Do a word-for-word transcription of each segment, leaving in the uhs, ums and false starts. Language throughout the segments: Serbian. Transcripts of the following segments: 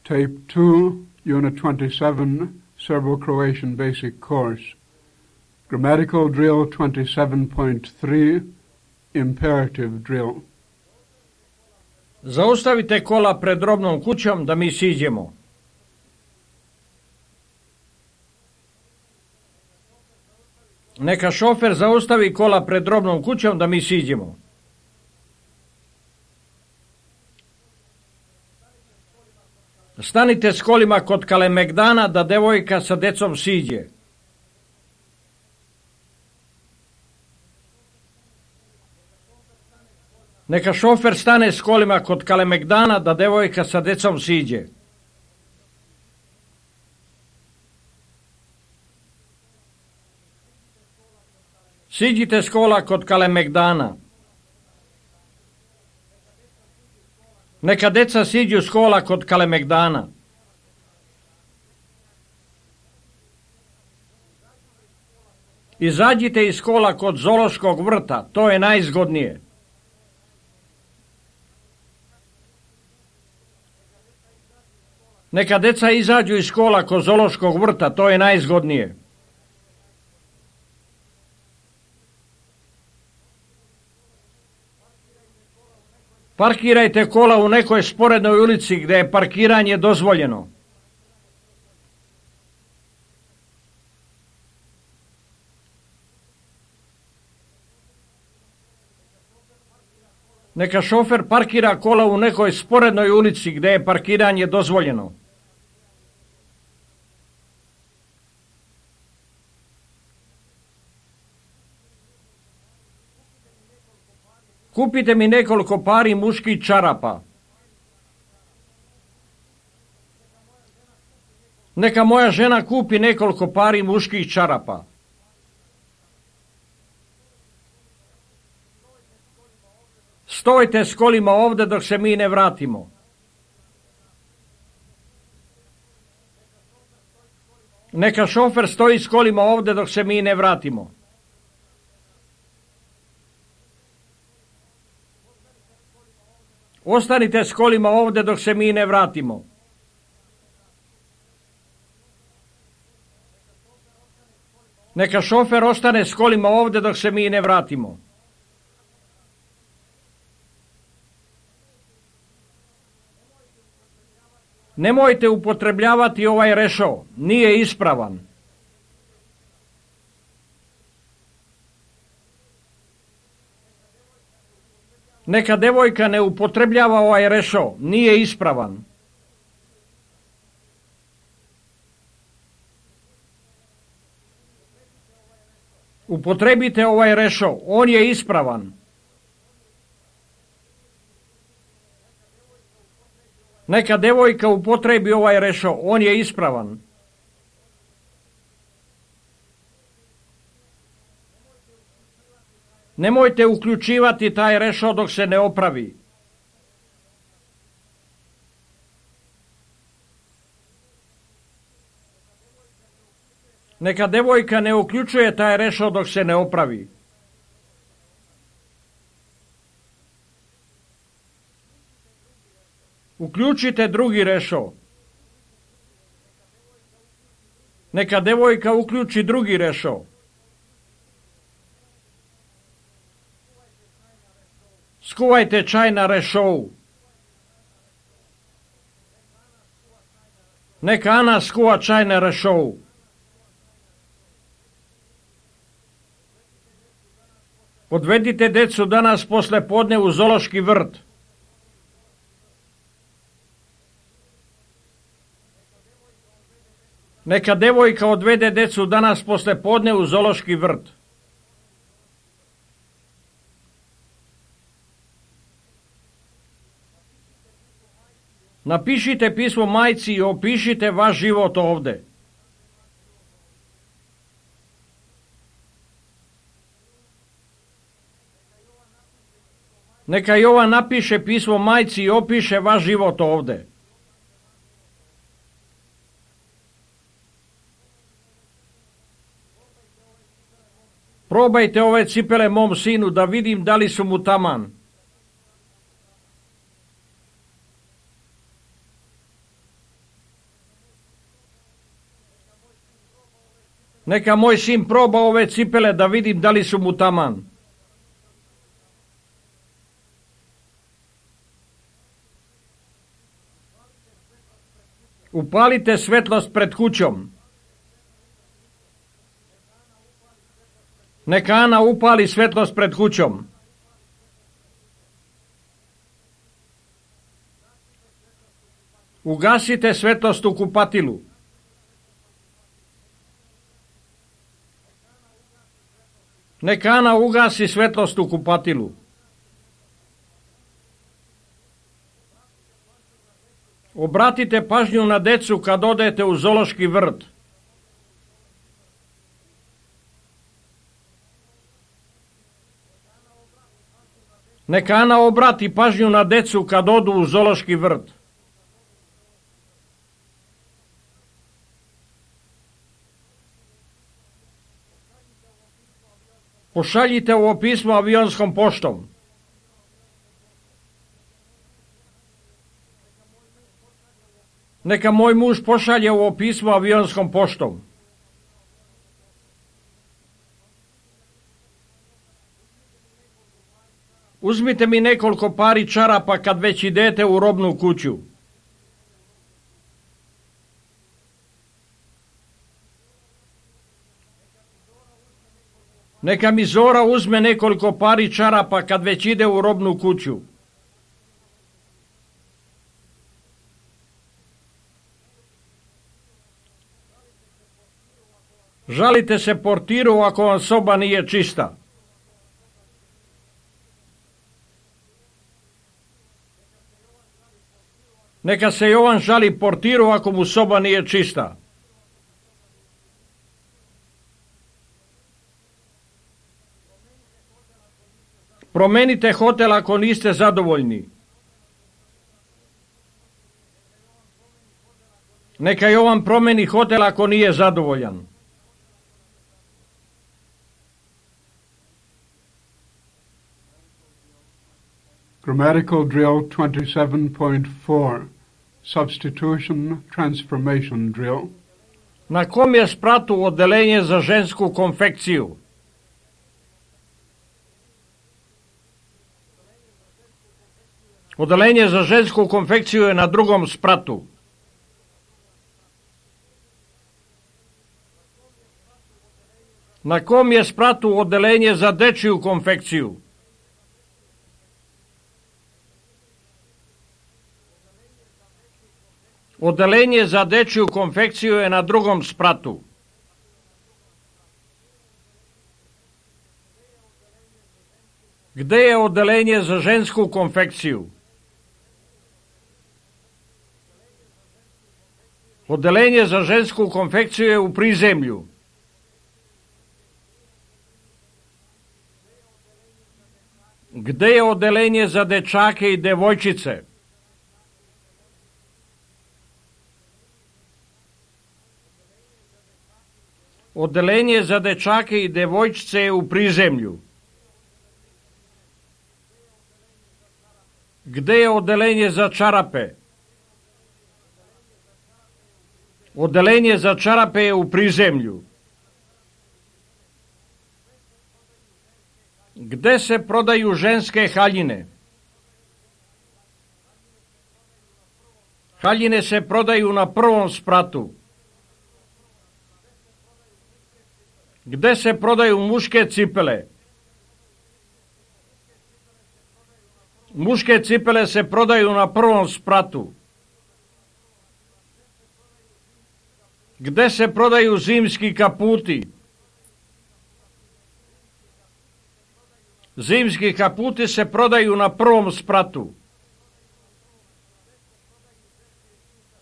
Tape two, Unit twenty-seven, Serbo-Croatian Basic Course. Grammatical Drill twenty-seven point three, Imperative Drill. Zaustavite kola pred robnom kućom da mi siđemo. Neka šofer zaustavi kola pred robnom kućom da mi siđemo. Stanite s kolima kod Kalemegdana da devojka sa decom siđe. Neka šofer stane s kolima kod Kalemegdana da devojka sa decom siđe. Siđite s kola kod Kalemegdana. Neka deca siđu s kola kod Kalemegdana. Izađite iz kola kod Zoološkog vrta, to je najzgodnije. Neka deca izađu iz kola kod Zoološkog vrta, to je najzgodnije. Parkirajte kola u nekoj sporednoj ulici gdje je parkiranje dozvoljeno. Neka šofer parkira kola u nekoj sporednoj ulici gdje je parkiranje dozvoljeno. Kupite mi nekoliko pari muških čarapa. Neka moja žena kupi nekoliko pari muških čarapa. Stojte s kolima ovdje dok se mi ne vratimo. Neka šofer stoji s kolima ovdje dok se mi ne vratimo. Ostanite s kolima ovdje dok se mi ne vratimo. Neka šofer ostane s kolima ovdje dok se mi ne vratimo. Nemojte upotrebljavati ovaj rešo, nije ispravan. Neka devojka ne upotrebljava ovaj rešo, nije ispravan. Upotrebite ovaj rešo, on je ispravan. Neka devojka upotrebi ovaj rešo, on je ispravan. Nemojte uključivati taj rešo dok se ne opravi. Neka devojka ne uključuje taj rešo dok se ne opravi. Uključite drugi rešo. Neka devojka uključi drugi rešo. Skuvajte čaj na rešou. Neka Ana skuva čaj na rešou. Odvedite decu danas posle podne u Zoološki vrt. Neka devojka odvede decu danas posle podne u Zoološki vrt. Napišite pismo majci i opišite vaš život ovde. Neka Jovan napiše pismo majci i opiše vaš život ovde. Probajte ove cipele mom sinu da vidim da li su mu taman. Neka moj sin proba ove cipele da vidim da li su mu taman. Upalite svetlost pred kućom. Neka Ana upali svetlost pred kućom. Ugasite svetlost u kupatilu. Neka Ana ugasi svetlost u kupatilu. Obratite pažnju na decu kad odete u zoološki vrt. Neka Ana obrati pažnju na decu kad odu u zoološki vrt. Pošaljite ovo pismo avionskom poštom. Neka moj muž pošalje ovo pismo avionskom poštom. Uzmite mi nekoliko pari čarapa kad već idete u robnu kuću. Neka mi Zora uzme nekoliko pari čarapa kad već ide u robnu kuću. Žalite se portiru ako vam soba nije čista. Neka se Jovan žali portiru ako mu soba nije čista. Promenite hotel ako niste zadovoljni. Neka Jovan promeni hotel ako nije zadovoljan. Grammatical drill twenty-seven point four, substitution transformation drill. Na kom je spratu odelenje za žensku konfekciju? Odelenje za žensku konfekciju je na drugom spratu. Na kom je spratu odelenje za dečiju konfekciju? Odelenje za dečiju konfekciju je na drugom spratu. Gde je odelenje za žensku konfekciju? Odelenje za žensku konfekciju je u prizemlju. Gde je odelenje za dečake i devojčice? Odelenje za dečake i devojčice je u prizemlju. Gde je odelenje za čarape? Odelenje za čarape je u prizemlju. Gde se prodaju ženske haljine? Haljine se prodaju na prvom spratu. Gde se prodaju muške cipele? Muške cipele se prodaju na prvom spratu. Gde se prodaju zimski kaputi? Zimski kaputi se prodaju na prvom spratu.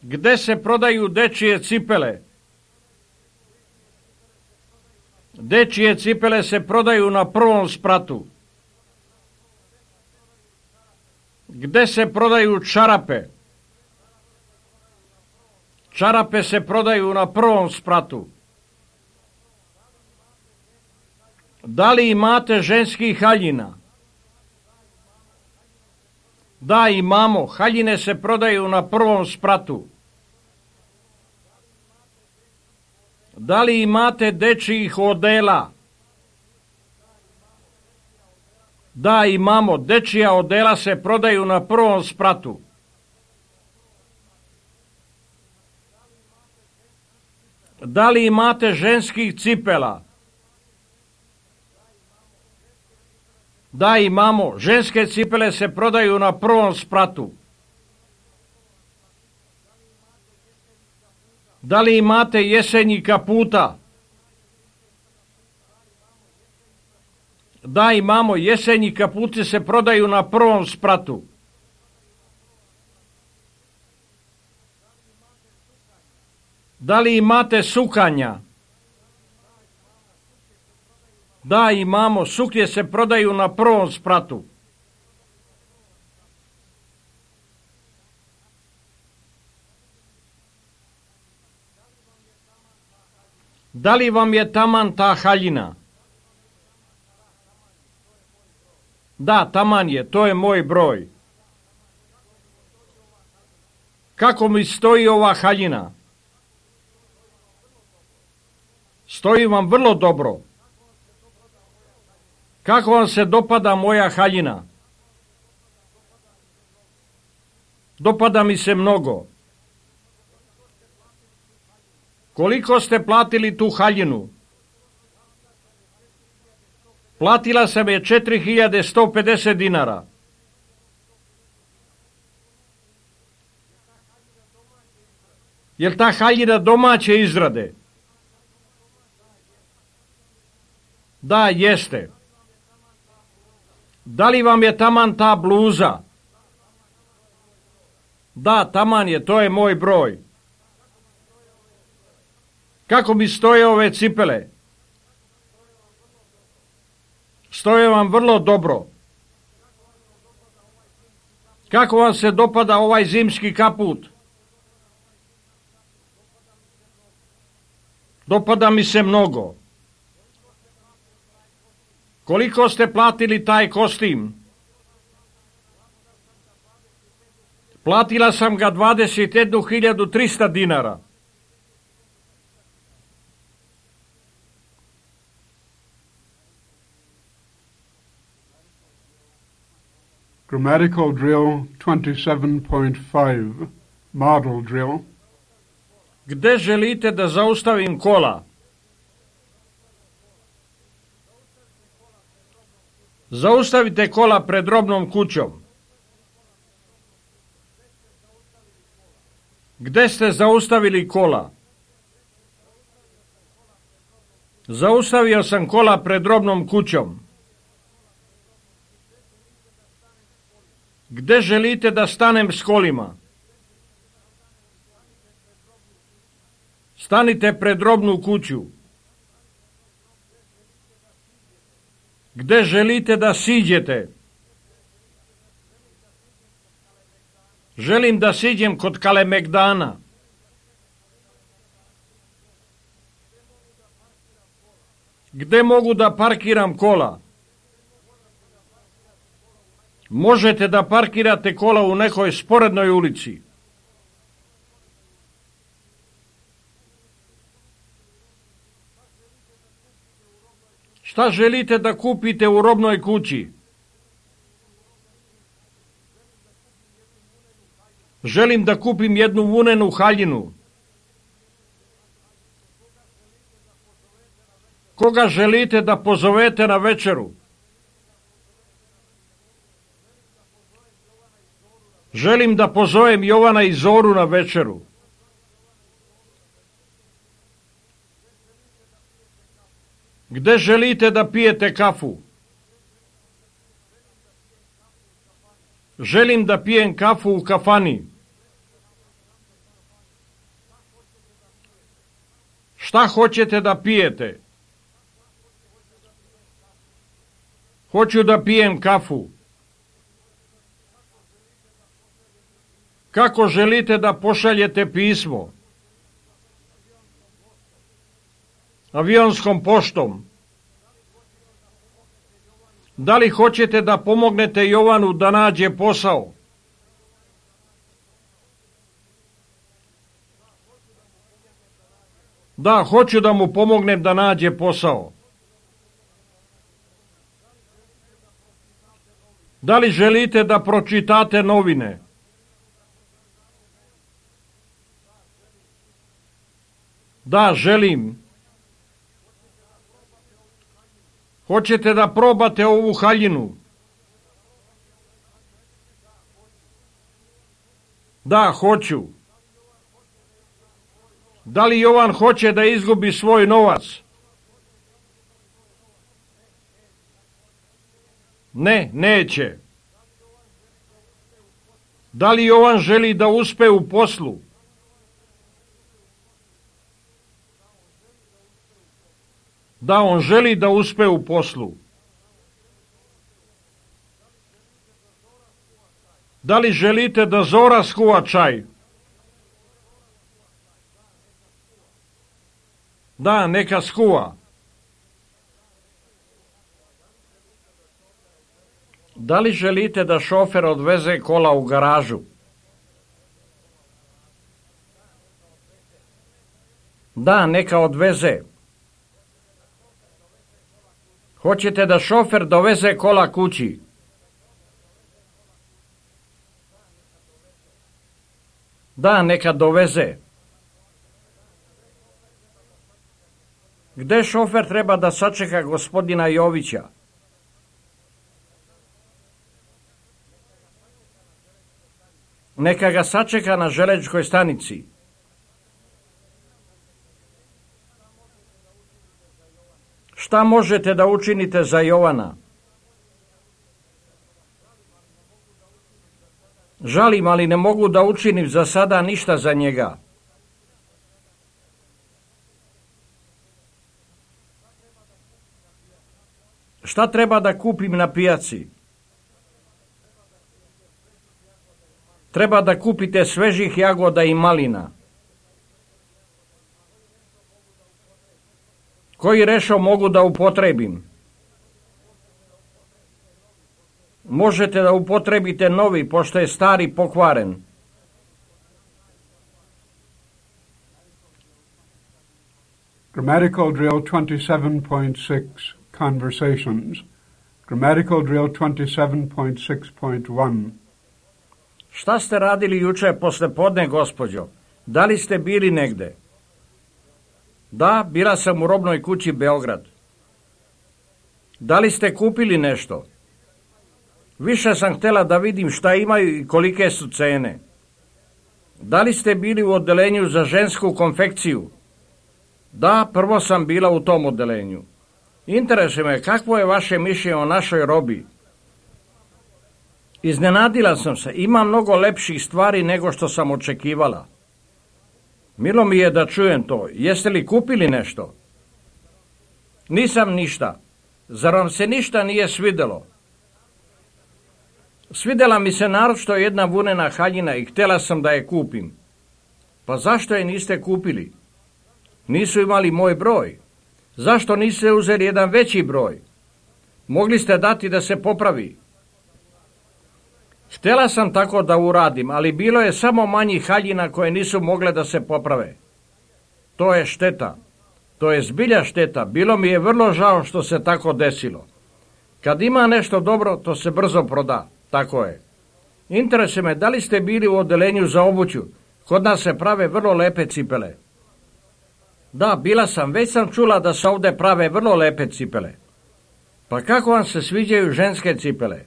Gde se prodaju dečije cipele? Dečije cipele se prodaju na prvom spratu. Gde se prodaju čarape? Čarape se prodaju na prvom spratu. Da li imate ženskih haljina? Da, imamo. Haljine se prodaju na prvom spratu. Da li imate dečjih odela? Da, imamo. Dečija odela se prodaju na prvom spratu. Da li imate ženskih cipela? Da, imamo. Ženske cipele se prodaju na prvom spratu. Da li imate jesenji kaputa? Da, imamo. Jesenji kaputi se prodaju na prvom spratu. Da li imate sukanja? Da, imamo. Suknje se prodaju na prvom spratu. Da li vam je taman ta haljina? Da, taman je, to je moj broj. Kako mi stoji ova haljina? Stoji vam vrlo dobro. Kako vam se dopada moja haljina? Dopada mi se mnogo. Koliko ste platili tu haljinu? Platila sam je četiri hiljade sto pedeset dinara. Jel ta haljina domaće izrade? Da, jeste. Da li vam je taman ta bluza? Da, taman je, to je moj broj. Kako mi stoje ove cipele? Stoje vam vrlo dobro. Kako vam se dopada ovaj zimski kaput? Dopada mi se mnogo. Koliko ste platili taj kostim? Platila sam ga dvadeset jednu hiljadu trista dinara. Grammatical drill twenty-seven point five, model drill. Gde želite da zaustavim kola? Zaustavite kola pred robnom kućom. Gde ste zaustavili kola? Zaustavio sam kola pred robnom kućom. Gde želite da stanem s kolima? Stanite pred robnu kuću. Gde želite da siđete? Želim da siđem kod Kalemegdana. Gde mogu da parkiram kola? Možete da parkirate kola u nekoj sporednoj ulici. Šta želite da kupite u robnoj kući? Želim da kupim jednu vunenu haljinu. Koga želite da pozovete na večeru? Želim da pozovem Jovana i Zoru na večeru. Gde želite da pijete kafu? Želim da pijem kafu u kafani. Šta hoćete da pijete? Hoću da pijem kafu. Kako želite da pošaljete pismo? Avionskom poštom. Da li hoćete da pomognete Jovanu da nađe posao? Da, hoću da mu pomognem da nađe posao. Da li želite da pročitate novine? Da, želim. Hoćete da probate ovu haljinu? Da, hoću. Da li Jovan hoće da izgubi svoj novac? Ne, neće. Da li Jovan želi da uspe u poslu? Da, on želi da uspe u poslu. Da li želite da Zora skuva čaj? Da, neka skuva. Da li želite da šofer odveze kola u garažu? Da, neka odveze. Hoćete da šofer doveze kola kući? Da, neka doveze. Gde šofer treba da sačeka gospodina Jovića? Neka ga sačeka na železničkoj stanici. Šta možete da učinite za Jovana? Žalim, ali ne mogu da učinim za sada ništa za njega. Šta treba da kupim na pijaci? Treba da kupite svežih jagoda i malina. Koji rešo mogu da upotrebim? Možete da upotrebite novi, pošto je stari pokvaren. Grammatical drill twenty-seven point six, Conversations. Grammatical drill twenty-seven point six point one. Šta ste radili juče posle podne, gospođo? Da li ste bili negde? Da, bila sam u robnoj kući Beograd. Da li ste kupili nešto? Više sam htjela da vidim šta imaju i kolike su cene. Da li ste bili u odelenju za žensku konfekciju? Da, prvo sam bila u tom odelenju. Interesuje me, kakvo je vaše mišljenje o našoj robi? Iznenadila sam se, ima mnogo lepših stvari nego što sam očekivala. Milo mi je da čujem to. Jeste li kupili nešto? Nisam ništa. Zar vam se ništa nije svidelo? Svidela mi se naročito jedna vunena haljina i htjela sam da je kupim. Pa zašto je niste kupili? Nisu imali moj broj. Zašto niste uzeli jedan veći broj? Mogli ste dati da se popravi. Htjela sam tako da uradim, ali bilo je samo manjih haljina koje nisu mogle da se poprave. To je šteta. To je zbilja šteta. Bilo mi je vrlo žao što se tako desilo. Kad ima nešto dobro, to se brzo proda. Tako je. Interesuje me, da li ste bili u odelenju za obuću? Kod nas se prave vrlo lepe cipele. Da, bila sam. Već sam čula da se ovde prave vrlo lepe cipele. Pa kako vam se sviđaju ženske cipele?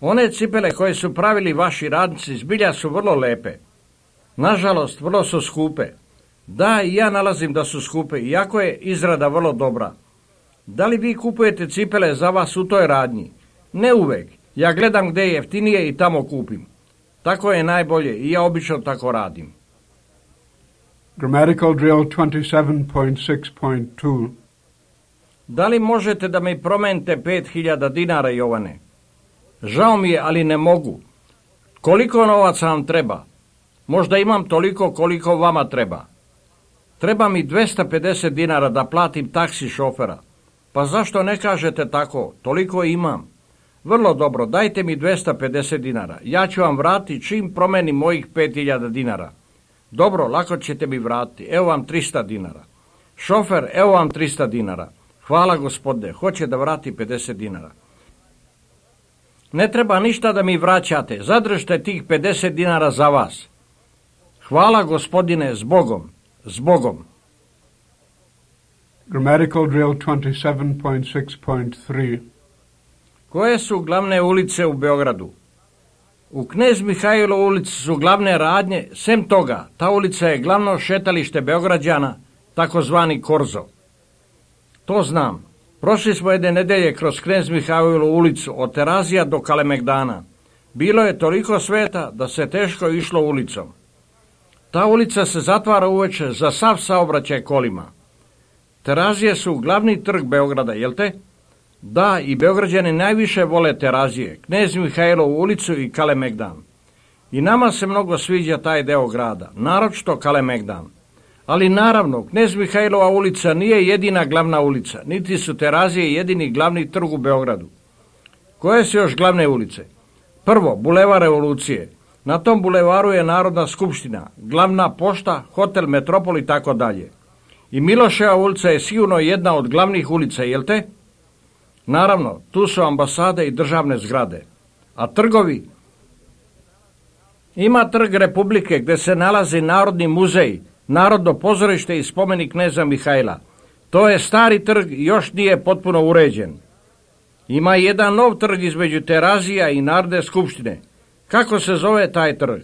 One cipele koje su pravili vaši radnici zbilja su vrlo lepe. Nažalost, vrlo su skupe. Da, i ja nalazim da su skupe, iako je izrada vrlo dobra. Da li vi kupujete cipele za vas u toj radnji? Ne uvek. Ja gledam gde je jeftinije i tamo kupim. Tako je najbolje i ja obično tako radim. Grammatical drill twenty-seven point six point two. Da li možete da mi promenite pet hiljada dinara, Jovane? Žao mi je, ali ne mogu. Koliko novaca vam treba? Možda imam toliko koliko vama treba. Treba mi dvesta pedeset dinara da platim taksi šofera. Pa zašto ne kažete tako? Toliko imam. Vrlo dobro, dajte mi dvesta pedeset dinara. Ja ću vam vratiti čim promenim mojih pet hiljada dinara. Dobro, lako ćete mi vratiti. Evo vam trista dinara. Šofer, evo vam trista dinara. Hvala gospodine, hoće da vrati pedeset dinara. Ne treba ništa da mi vraćate, zadržite tih pedeset dinara za vas. Hvala gospodine, s Bogom, s Bogom. Grammatical drill twenty-seven point six point three. Koje su glavne ulice u Beogradu? U Knez Mihajlo ulici su glavne radnje, sem toga, ta ulica je glavno šetalište Beograđana, takozvani Korzo. To znam. Prošli smo jedne nedelje kroz Knez Mihajlo ulicu od Terazija do Kalemegdana. Bilo je toliko sveta da se teško išlo ulicom. Ta ulica se zatvara uveče za sav saobraćaj kolima. Terazije su glavni trg Beograda, jel te? Da, i Beograđani najviše vole Terazije, Knez Mihajlovu ulicu i Kalemegdan. I nama se mnogo sviđa taj deo grada, naročito Kalemegdan. Ali naravno, Knez Mihajlova ulica nije jedina glavna ulica, niti su Terazije jedini glavni trg u Beogradu. Koje su još glavne ulice? Prvo, Bulevar Revolucije. Na tom bulevaru je Narodna skupština, glavna pošta, hotel Metropol i tako dalje. I Miloševa ulica je sigurno jedna od glavnih ulica, jel te? Naravno, tu su ambasade i državne zgrade. A trgovi? Ima trg Republike gdje se nalazi Narodni muzej, Narodno pozorište i spomenik kneza Mihajla. To je stari trg i još nije potpuno uređen. Ima jedan nov trg između Terazija i Narodne skupštine. Kako se zove taj trg?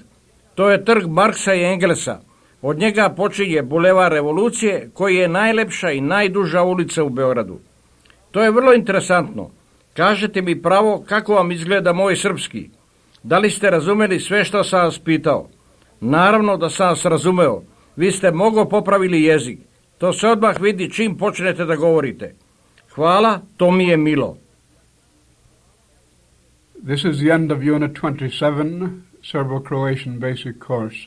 To je trg Marksa i Engelsa. Od njega počinje Bulevar Revolucije, koji je najlepša i najduža ulica u Beogradu. To je vrlo interesantno. Kažete mi pravo kako vam izgleda moj srpski. Da li ste razumeli sve što sam vas pitao? Naravno da sam vas razumeo. Vi ste mnogo popravili jezik. To se odmah vidi čim počnete da govorite. Hvala, to mi je milo. This is the end of Unit twenty-seven, Serbo-Croatian Basic Course.